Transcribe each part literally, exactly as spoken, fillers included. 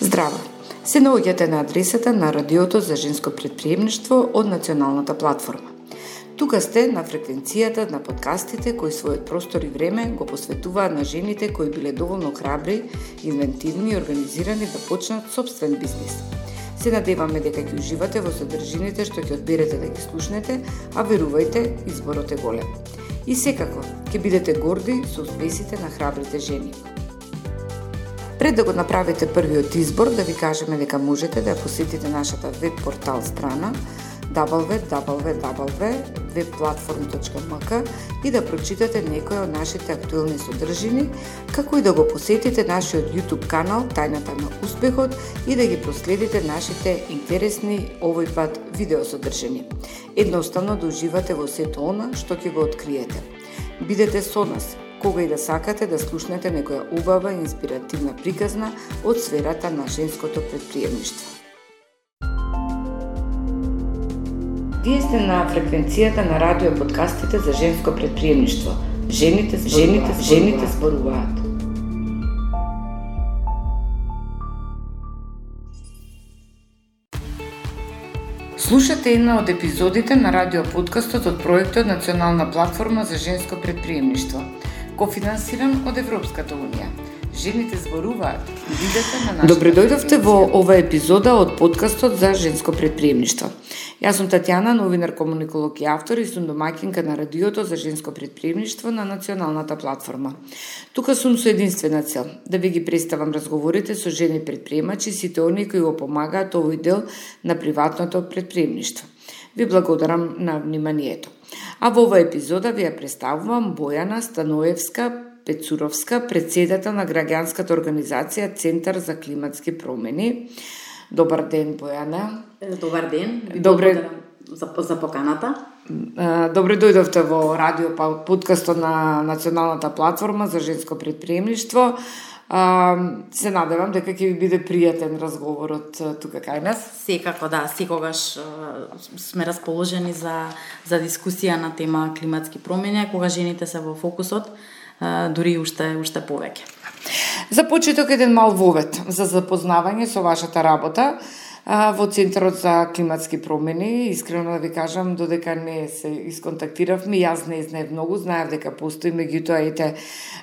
Здраво! Се наоѓате на адресата на Радиото за женско претприемништво од Националната платформа. Тука сте на фреквенцијата на подкастите кои својот простор и време го посветуваат на жените кои биле доволно храбри, инвентивни и организирани да почнат собствен бизнис. Се надеваме дека ќе уживате во содржините што ќе одберете да ги слушнете, а верувајте, изборот е голем. И секако, ќе бидете горди со успесите на храбрите жени. Пред да го направите првиот избор, да ви кажеме дека можете да посетите нашата веб портал страна дабл ю дабл ю дабл ю точка веб платформ точка ем ка и да прочитате некои од нашите актуелни содржини, како и да го посетите нашиот YouTube канал Тајната на успехот и да ги проследите нашите интересни овој пат видеосодржини. Едноставно да уживате во сето она што ќе го откриете. Бидете со нас кога и да сакате да слушнете некоја убава и инспиративна приказна од сферата на женското претприемништво. Вие сте на фреквенцијата на радио подкастите за женско претприемништво. Жените, жените, жените зборуваат. Слушате една од епизодите на радио подкастот од проектот Национална платформа за женско претприемништво, кофинансиран од Европската унија. Жените зборуваат. Видете на нашата. Добре дојдовте во ова епизода од подкастот за женско претприемништво. Јас сум Татјана, новинар, комуниколог и автор и сум домаќинка на радиото за женско претприемништво на Националната платформа. Тука сум со единствена цел да ви ги представам разговорите со жени претприемачи, сите оние кои го помагаат овој дел на приватното претприемништво. Ви благодарам на вниманието. А во оваа епизода ви ја представувам Бојана Станоевска Пецуровска, председател на граѓанската организација Центар за климатски промени. Добар ден, Бојана. Добар ден. Добре за, за поканата. Добре дојдовте во радио подкастот на Националната платформа за женско претприемништво. Се надевам дека ќе ви биде пријатен разговорот тука кај нас. Секако да, секогаш сме расположени за за дискусија на тема климатски промени, кога жените се во фокусот, дури уште уште повеќе. За почеток еден мал вовед за запознавање со вашата работа во Центарот за климатски промени. Искрено да ви кажам, додека не се исконтактиравме, јас не знаев многу, знаев дека постои, меѓутоа ете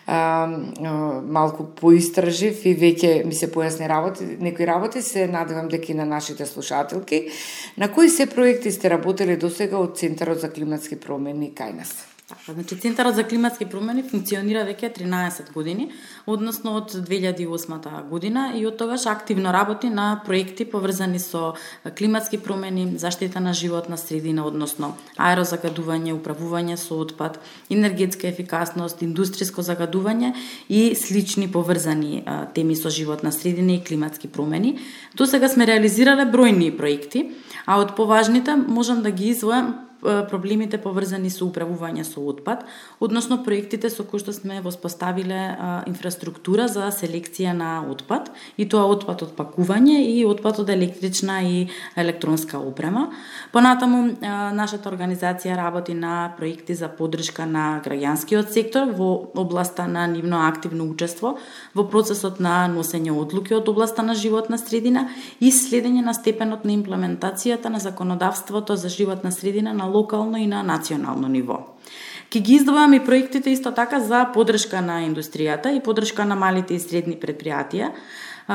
малку поистражив и веќе ми се појасни работи, некои работи, се надевам дека и на нашите слушателки. На кои се проекти сте работели досега од Центарот за климатски промени кај нас? Така, значи Центарот за климатски промени функционира веќе тринаесет години, односно од две илјади и осма година, и од тогаш активно работи на проекти поврзани со климатски промени, заштита на животна средина, односно аерозагадување, управување со отпад, енергетска ефикасност, индустријско загадување и слични поврзани а, теми со животна средина и климатски промени. До сега сме реализирале бројни проекти, а од поважните можам да ги издвојам проблемите поврзани со управување со отпад, односно проектите со кои што сме воспоставиле а, инфраструктура за селекција на отпад, и тоа отпад од пакување и отпад од електрична и електронска опрема. Понатаму а, нашата организација работи на проекти за поддршка на граѓанскиот сектор во областа на нивно активно учество во процесот на носење одлуки од областа на животна средина и следење на степенот на имплементацијата на законодавството за животна средина на локално и на национално ниво. Ке ги издвојам и проектите исто така за поддршка на индустријата и поддршка на малите и средни предпријатија,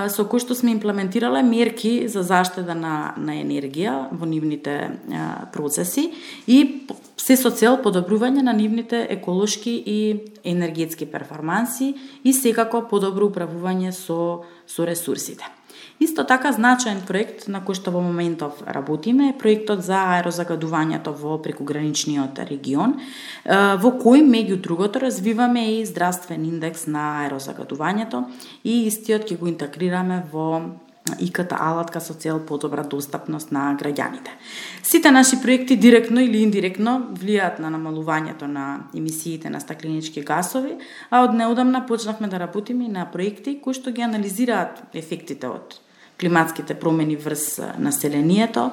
со кои што сме имплементирале мерки за заштита на, на енергија во нивните а, процеси и се со цел подобрување на нивните еколошки и енергетски перформанси и секако подобро управување со, со ресурсите. Исто така значаен проект на кој што во моментов работиме е проектот за аерозагадувањето во прекуграничниот регион, во кој меѓу другото развиваме и здравствен индекс на аерозагадувањето и истиот ќе го интегрираме во и ката алатка со цел подобра достапност на граѓаните. Сите наши проекти директно или индиректно влијаат на намалувањето на емисиите на стакленички гасови, а од неодамна почнавме да работиме и на проекти кои што ги анализираат ефектите од климатските промени врз населението,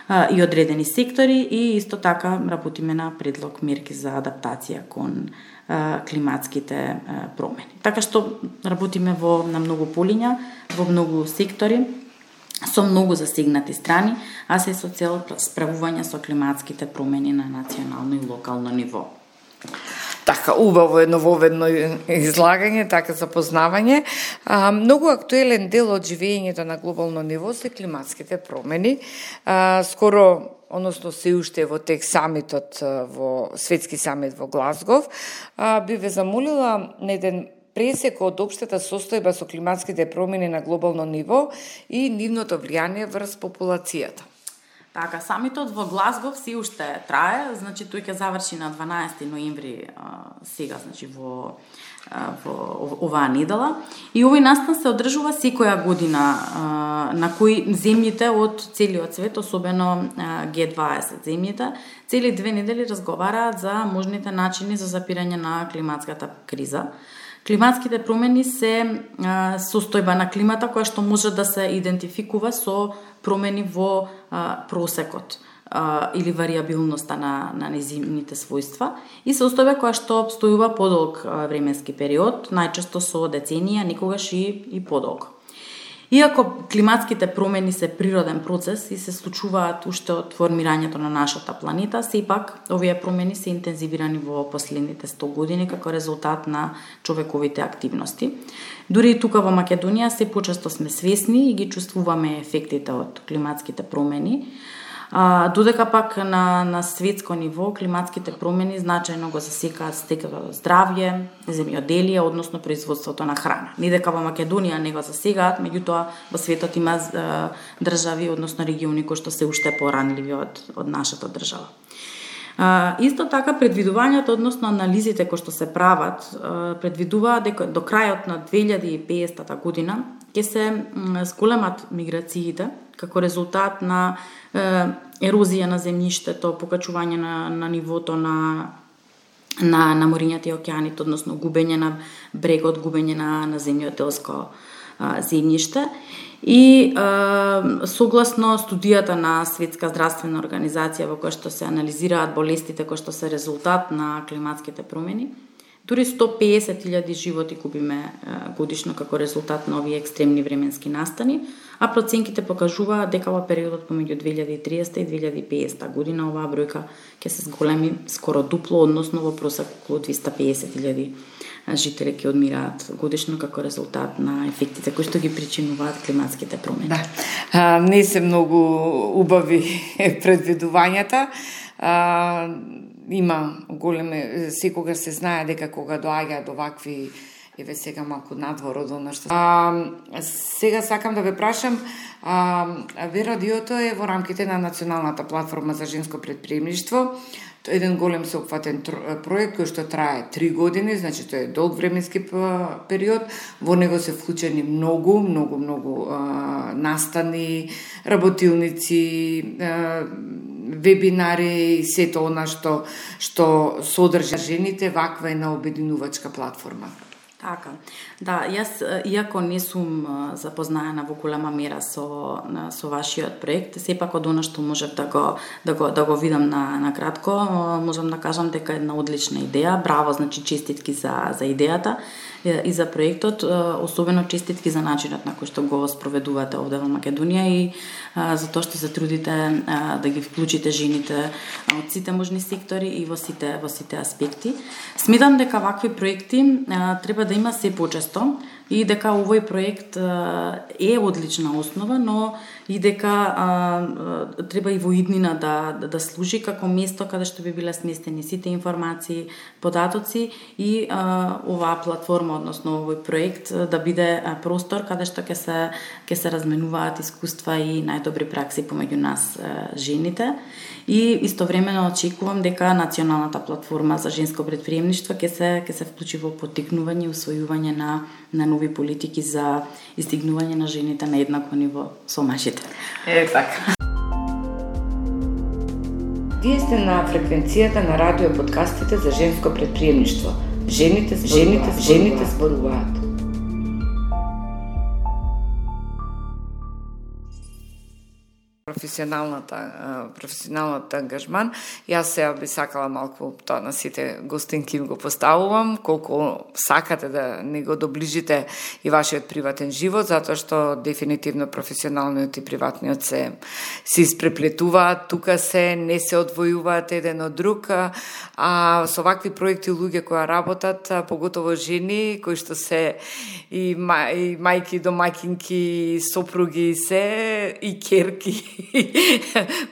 а, и одредени сектори и исто така работиме на предлог мерки за адаптација кон а, климатските а, промени. Така што работиме во на многу полиња, во многу сектори, со многу засегнати страни, а се со цел справување со климатските промени на национално и локално ниво. Така, убаво е нововедно излагање, така запознавање. А, многу актуелен дел од живењето на глобално ниво се климатските промени. А, скоро, односно се уште во тек самитот, во светски самит во Глазгов, а, би ве замолила на еден пресек од општата состојба со климатските промени на глобално ниво и нивното влијание врз популацијата. Така, самитот во Глазгов си уште трае, значи тој ќе заврши на дванаесети ноември сега, значи во во оваа недела. И овој настан се одржува секоја година на кои земјите од целиот свет, особено Г дваесет земјите, цели две недели разговараат за можните начини за запирање на климатската криза. Климатските промени се а, состојба на климата која што може да се идентификува со промени во а, просекот а, или варијабилноста на, на незините својства и состојба која што обстојува подолг а, временски период, најчесто со деценија, никогаш и, и подолг. Иако климатските промени се природен процес и се случуваат уште од формирањето на нашата планета, сепак овие промени се интензивирани во последните сто години како резултат на човековите активности. Дури и тука во Македонија се почесто сме свесни и ги чувствуваме ефектите од климатските промени. А, додека пак на, на светско ниво климатските промени значајно го засекаат стекото здравје, земјоделие, односно производството на храна. Не дека во Македонија не го засегаат, меѓутоа во светот има а, држави, односно региони кои што се уште поранливи од, од нашата држава. А, исто така предвидувањето, односно анализите кои што се прават, а, предвидуваат дека до крајот на две илјади и педесета година ќе се зголемат миграциите како резултат на е, ерозија на земјиштето, покачување на, на нивото на на, на морињата и океаните, односно губење на брегот, губење на, на земјоделско а, земјиште. И е, согласно студијата на Светска здравствена организација во која што се анализираат болестите кои што се резултат на климатските промени, дури сто педесет илјади животи губиме годишно како резултат на овие екстремни временски настани, а проценките покажуваат дека во периодот помеѓу две илјади и триесета и две илјади и педесета година оваа бројка ќе се зголеми скоро дупло, односно во просек околу двеста педесет илјади жители ќе одмираат годишно како резултат на ефектите кои што ги причинуваат климатските промени. Да. А, не се многу убави предвидувањата. А, има големе, секогаш се знае дека кога доаѓаат овакви, еве сега малку надвор од она што... А, сега сакам да ве прашам, а, ве радиото е во рамките на Националната платформа за женско предприемништво, еден голем сеопфатен проект кој што трае три години, значи тоа е долг временски период. Во него се вклучени многу, многу, многу а, настани, работилници, а, вебинари и сето она што што содржи жените, ваква е на обединувачка платформа. Така. Да, јас иако не сум запознаена во голема мера со со вашиот проект, сепак од она што можев да го да го да го видам на на кратко, можам да кажам дека е една одлична идеја. Браво, значи честитки за за идејата и за проектот, особено честитки за начинот на кој што го спроведувате овде во Македонија и а, за тоа што се трудите а, да ги вклучите жените од сите можни сектори и во сите во сите аспекти. Сметам дека вакви проекти а, треба да има се почесто и дека овој проект а, е одлична основа, но и дека а, а, треба и во иднина да, да да служи како место каде што би биле сместени сите информации, податоци и а, оваа платформа, односно овој проект да биде а, простор каде што ќе се ќе се разменуваат искуства и најдобри пракси помеѓу нас а, жените. И истовремено очекувам дека Националната платформа за женско предприемништво ќе се ќе се вклучи во поттикнување и усвојување на на нови политики за издигнување на жените на еднакво ниво со мажите. Е така. Вие сте на фреквенцијата на радио подкастите за женско предприемништво. Жените, жените, жените зборуваат. професионалната професионалната ангажман. Јас сега би сакала малку тоа на сите гостинки го поставувам, колку сакате да не го доближите и вашиот приватен живот, затоа што дефинитивно професионалниот и приватниот се се испреплетуваат, тука се не се одвојуваат еден од друг, а со вакви проекти луѓе кои работат, поготово жени кои што се и, ма, и мајки, домаќинки, и сопруги, и се и керки.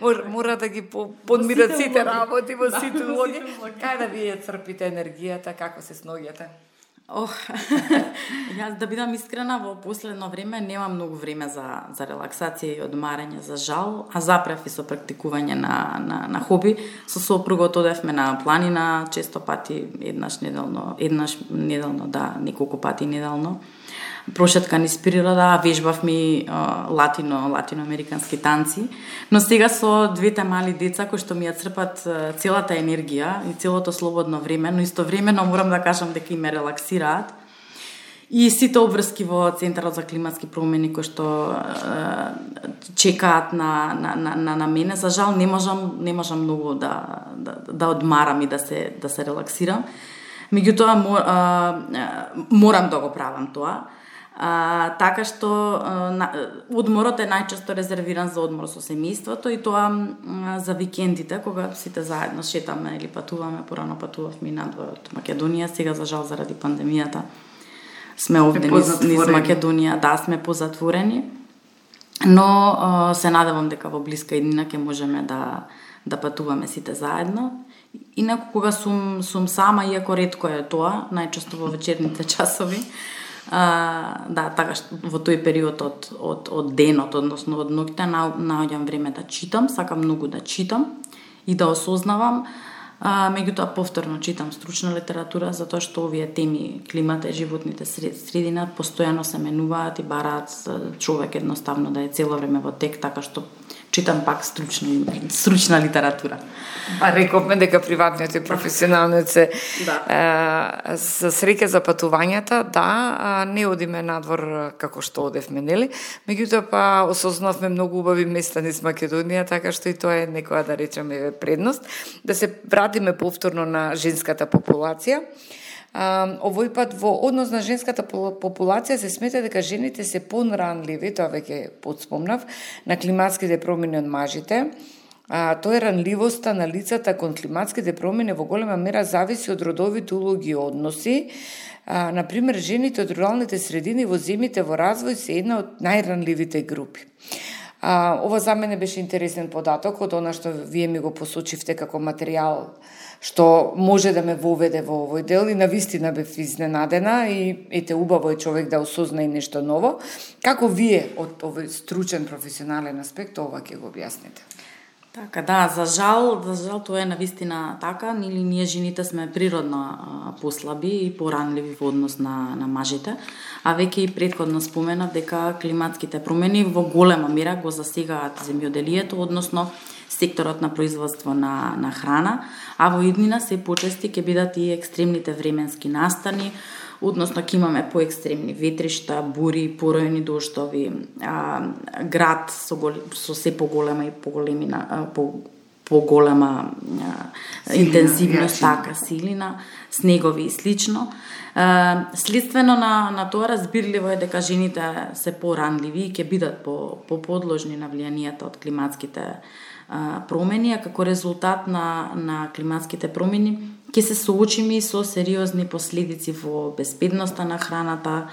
мора, мора да ги подмират сите, сите работи во сите улоги. Кај да вие црпите енергијата, како се сноѓате? Ох, јас да бидам искрена, во последно време немам многу време за, за релаксација и одмарање, за жал, а запрев и со практикување на, на, на хоби. Со сопругот одевме на планина често пати, еднаш неделно, еднаш неделно, да, неколку пати неделно. Прошетка низ природа, вежбавме латино, латиноамерикански танци, но сега со двете мали деца кои што ми ја црпат целата енергија и целото слободно време, но истовремено морам да кажам дека и ме релаксираат. И сите обврски во Центарот за климатски промени кои што е, чекаат на, на, на, на мене, за жал не можам, не можам многу да, да, да одмарам и да се, да се релаксирам. Меѓутоа морам да го правам тоа. А, така што а, одморот е најчесто резервиран за одмор со семејството и тоа а, за викендите, кога сите заедно шетаме или патуваме. Порано патувавме надвор од Македонија, сега за жал заради пандемијата сме овде низ, низ Македонија, да, сме позатворени, но а, се надевам дека во блиска иднина ќе можеме да, да патуваме сите заедно. Инаку кога сум, сум сама, иако ретко е тоа, најчесто во вечерните часови, А, да, така што во тој период од, од, од денот, односно од ноќта, наоѓам време да читам, сакам многу да читам и да осознавам, а, меѓутоа повторно читам стручна литература, затоа што овие теми, климата и животните средина, постојано се менуваат и бараат човек едноставно да е цело време во тек, така што читам пак стручна, стручна литература. А рековме дека приватниот и професионалниот се да. е, за среќа за патувањата, да, не одиме надвор како што одевме, нели? Меѓутоа па осознавме многу убави места низ Македонија, така што и тоа е некоја, да речеме, предност. Да се вратиме повторно на женската популација. Uh, овој пат во однос на женската популација се смета дека жените се понранливи, тоа веќе подспомнав, на климатските промени од мажите. Uh, тоа е ранливоста на лицата кон климатските промени во голема мера зависи од родовите улоги и односи. Uh, например, жените од руралните средини во земјите во развој се една од најранливите групи. Uh, ова за мене беше интересен податок од она што вие ми го посочивте како материјал што може да ме воведе во овој дел и навистина бев изненадена и ете убаво е човек да осозна и нешто ново. Како вие од овој стручен професионален аспект ова ќе го објасните? Така, да, за жал, за жал тоа е навистина така, нели ние жените сме природно а, послаби и поранливи во однос на, на мажите, а веќе и претходно споменав дека климатските промени во голема мера го засегаат земјоделието, односно секторот на производство на, на храна, а во иднина се почести ќе бидат и екстремните временски настани, односно ќе имаме поекстремни ветришта, бури, поројни дождови, а, град со, гол, со се поголема и поголемина, по, поголема а, интензивност, така, силина, снегови и слично. А, следствено на, на тоа разбирливо е дека жените се поранливи и ќе бидат по, по подложни на влијанието од климатските промени, а како резултат на, на климатските промени ќе се соочиме со сериозни последици во безбедноста на храната,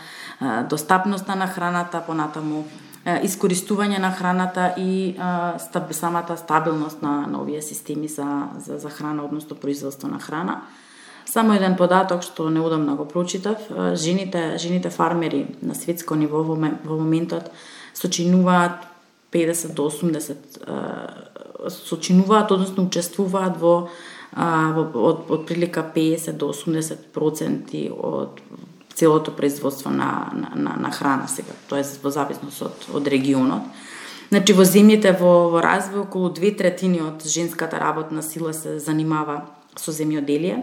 достапноста на храната, понатаму искористување на храната и стаб, самата стабилност на, на овие системи за, за, за храна, односно производство на храна. Само еден податок што неодамна го прочитав, жените, жените фармери на светско ниво во, во моментот сочинуваат педесет до осумдесет сочинуваат, односно учествуваат во, а, во од, од прилика педесет до осумдесет проценти од целото производство на, на, на, на храна сега, тоест во зависност од, од регионот. Значи во земјите во, во развој околу две третини од женската работна сила се занимава со земјоделие,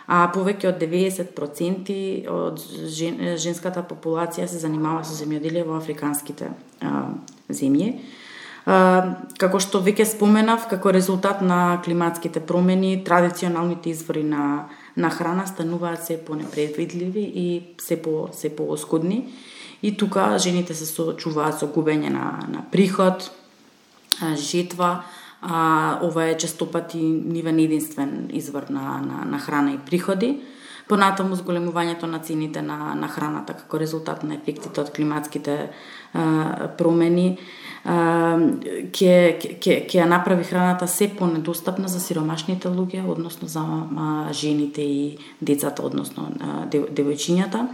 а повеќе од деветдесет проценти од жен, женската популација се занимава со земјоделие во африканските а, земји. Како што веќе споменав, како резултат на климатските промени, традиционалните извори на на храна стануваат се понепредвидливи и се по се пооскудни. И тука жените се соочуваат со губење на на приход, жетва, а ова е честопати нивен единствен извор на на на храна и приходи. Понатаму зголемувањето на цените на на храната како резултат на ефектите од климатските а, промени ќе ќе ќе ја направи храната се понедостапна за сиромашните луѓе, односно за а, жените и децата, односно а, девојчињата.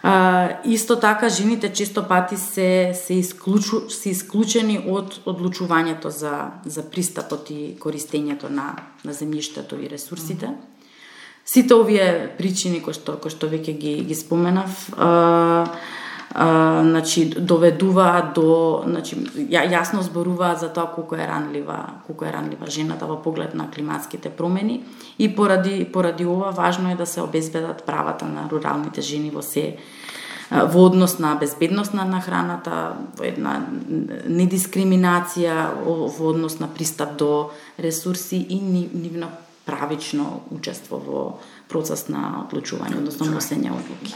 А, исто така жените често пати се се исклучу се исклучени од одлучувањето за за пристапот и користењето на на земјиштето и ресурсите. Сите овие причини кои што кои што веќе ги ги споменав, а, а, значи доведуваат до, значи ја, јасно зборуваат за тоа колку е ранлива, колку е ранлива жената во поглед на климатските промени и поради поради ова важно е да се обезбедат правата на руралните жени во се во однос на безбедност на храната, во една недискриминација, во однос на пристап до ресурси и нивно правично учество во процес на одлучување, односно носење одлуки.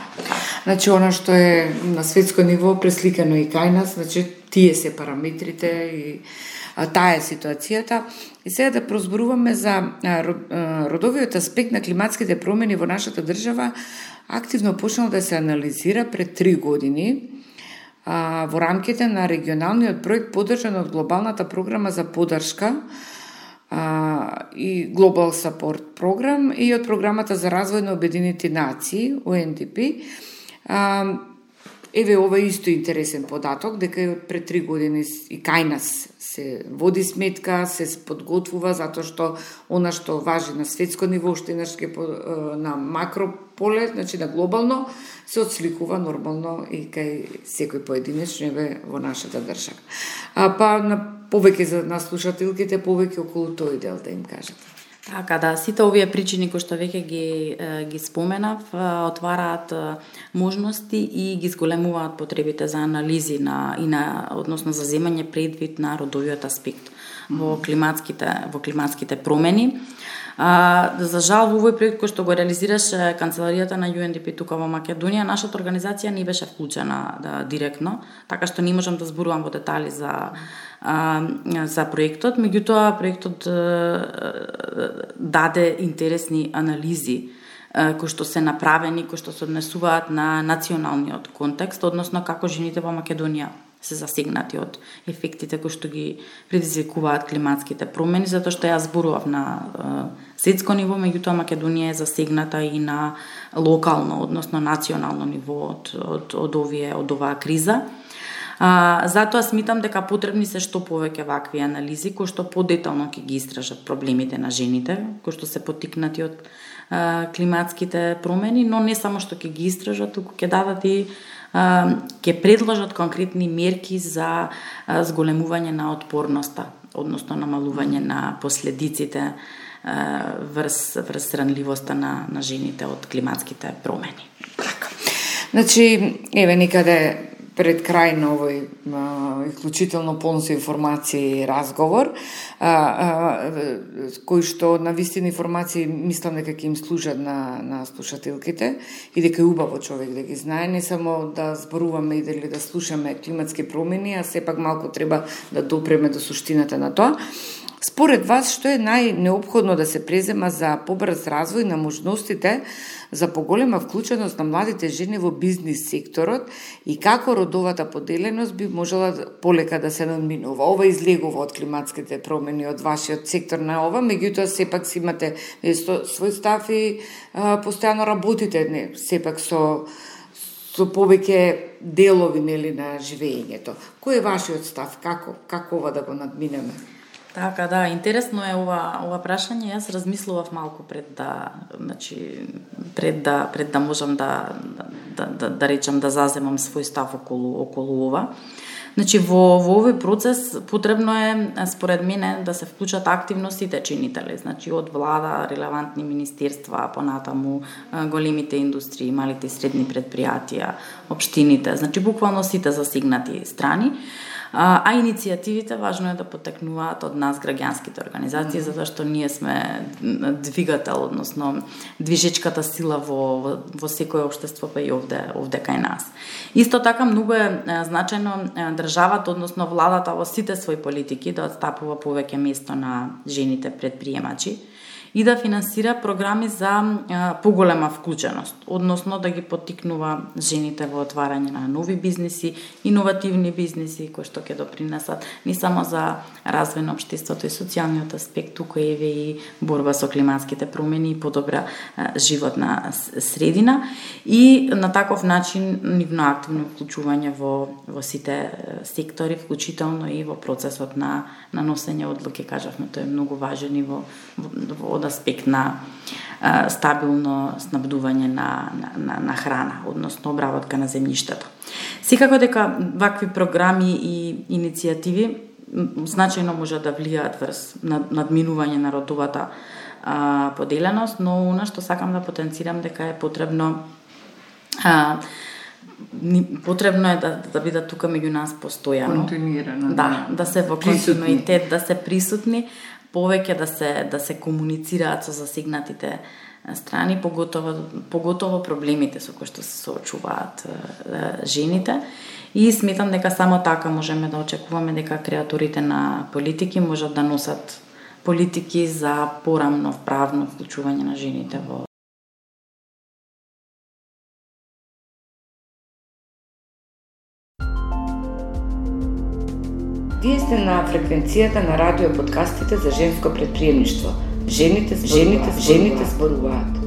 Значи, она што е на светско ниво пресликано и кај нас, значи, тие се параметрите и а, таа е ситуацијата. И сега да прозборуваме за а, родовиот аспект на климатските промени во нашата држава, активно почнал да се анализира пред три години а, во рамките на регионалниот проект поддржан од глобалната програма за поддршка Uh, и Global Support програм и од програмата за развој на Обединените нации, У Ен Ди Пи. Uh, еве ова исто интересен податок, дека и од пред три години и кај нас се води сметка, се подготвува, затоа што она што важи на светско ниво, уште еднаш на макро поле, значи на глобално, се отсликува нормално и кај секој поединечно еве во нашата држава. А па на повеќе за нас слушателките, повеќе околу тој дел да им кажете. Така да, сите овие причини кои што веќе ги ги споменав отвараат можности и ги зголемуваат потребите за анализи на и на односно за земање предвид на родовиот аспект во климатските во климатските промени. А, за жал, во овој проект кој што го реализираше канцеларијата на Ю Ен Ди Пи тука во Македонија, нашата организација не беше вклучена да, директно, така што не можам да зборувам во детали за а, за проектот, меѓутоа проектот а, даде интересни анализи а, кои што се направени, кои што се однесуваат на националниот контекст, односно како жените во Македонија се засегнати од ефектите кои што ги предизвикуваат климатските промени, затоа што јас зборував на е, светско ниво, меѓутоа Македонија е засегната и на локално, односно национално ниво од од од овие од оваа криза. А, затоа смитам дека потребни се што повеќе вакви анализи кои што подетално ќе ги истражат проблемите на жените, кои што се поттикнати од е, климатските промени, но не само што ќе ги истражат, туку ќе дадат и ќе предложат конкретни мерки за зголемување на отпорноста, односно намалување на последиците врз врз ранливоста на на жените од климатските промени. Така. Значи, еве некаде пред крај на овој а, исклучително полн со информации разговор, а, а, кој што на вистина информации мислам дека ќе им служат на, на слушателките и дека е убаво човек да ги знае, не само да зборуваме и дали да слушаме климатски промени, а сепак малку треба да допреме до суштината на тоа. Според вас, што е најнеопходно да се презема за побрз развој на можностите за поголема вклученост на младите жени во бизнис секторот и како родовата поделеност би можела полека да се надминува? Ова излегува од климатските промени, од вашиот сектор на ова, меѓутоа сепак си имате свој став и а, постојано работите, не, сепак со со повеќе делови нели на живењето. Кој е вашиот став? Како како ова да го надминеме? Така да, интересно е ова ова прашање. Јас размислував малку пред да, значи пред да пред да можам да да да, да речам да заземам свој став околу околу ова. Значи во во овој процес потребно е според мене да се вклучат активно сите чинители, значи од влада, релевантни министерства, понатаму големите индустрии, малите и средни претпријатија, општините, значи буквално сите засегнати страни. А, а иницијативите важно е да потекнуваат од нас граѓанските организации, mm-hmm. затоа што ние сме двигател, односно движечката сила во, во, во секој општество, па и овде, овде кај нас. Исто така многу е значајно државата, односно владата во сите своји политики да отстапува повеќе место на жените предприемачи и да финансира програми за а, поголема вклученост, односно да ги поттикнува жените во отварање на нови бизниси, иновативни бизниси кои што ќе допринесат не само за развој на општеството и социјалниот аспект, туку еве и борба со климатските промени и подобра а, животна средина и на таков начин нивно активно вклучување во во сите сектори, вклучително и во процесот на на носење одлуки, кажавме, тоа е многу важен и во, во од аспект на а, стабилно снабдување на, на, на, на храна, односно обработка на земјиштата. Секако дека вакви програми и иницијативи значајно може да влијаат врз надминување на родовата а, поделеност, но она што сакам да потенцирам дека е потребно а, потребно е да, да бидат тука меѓу нас постојано. Континуирано. Да, да се во континуитет, да се присутни, повеќе да се да се комуницираат со засегнатите страни, поготово поготово проблемите со кои што се соочуваат е, жените. И сметам дека само така можеме да очекуваме дека креаторите на политики можат да носат политики за порамно правно вклучување на жените во Вие сте на фреквенцијата на радио подкастите за женско предприемништво. Жените, жените, жените зборуваат.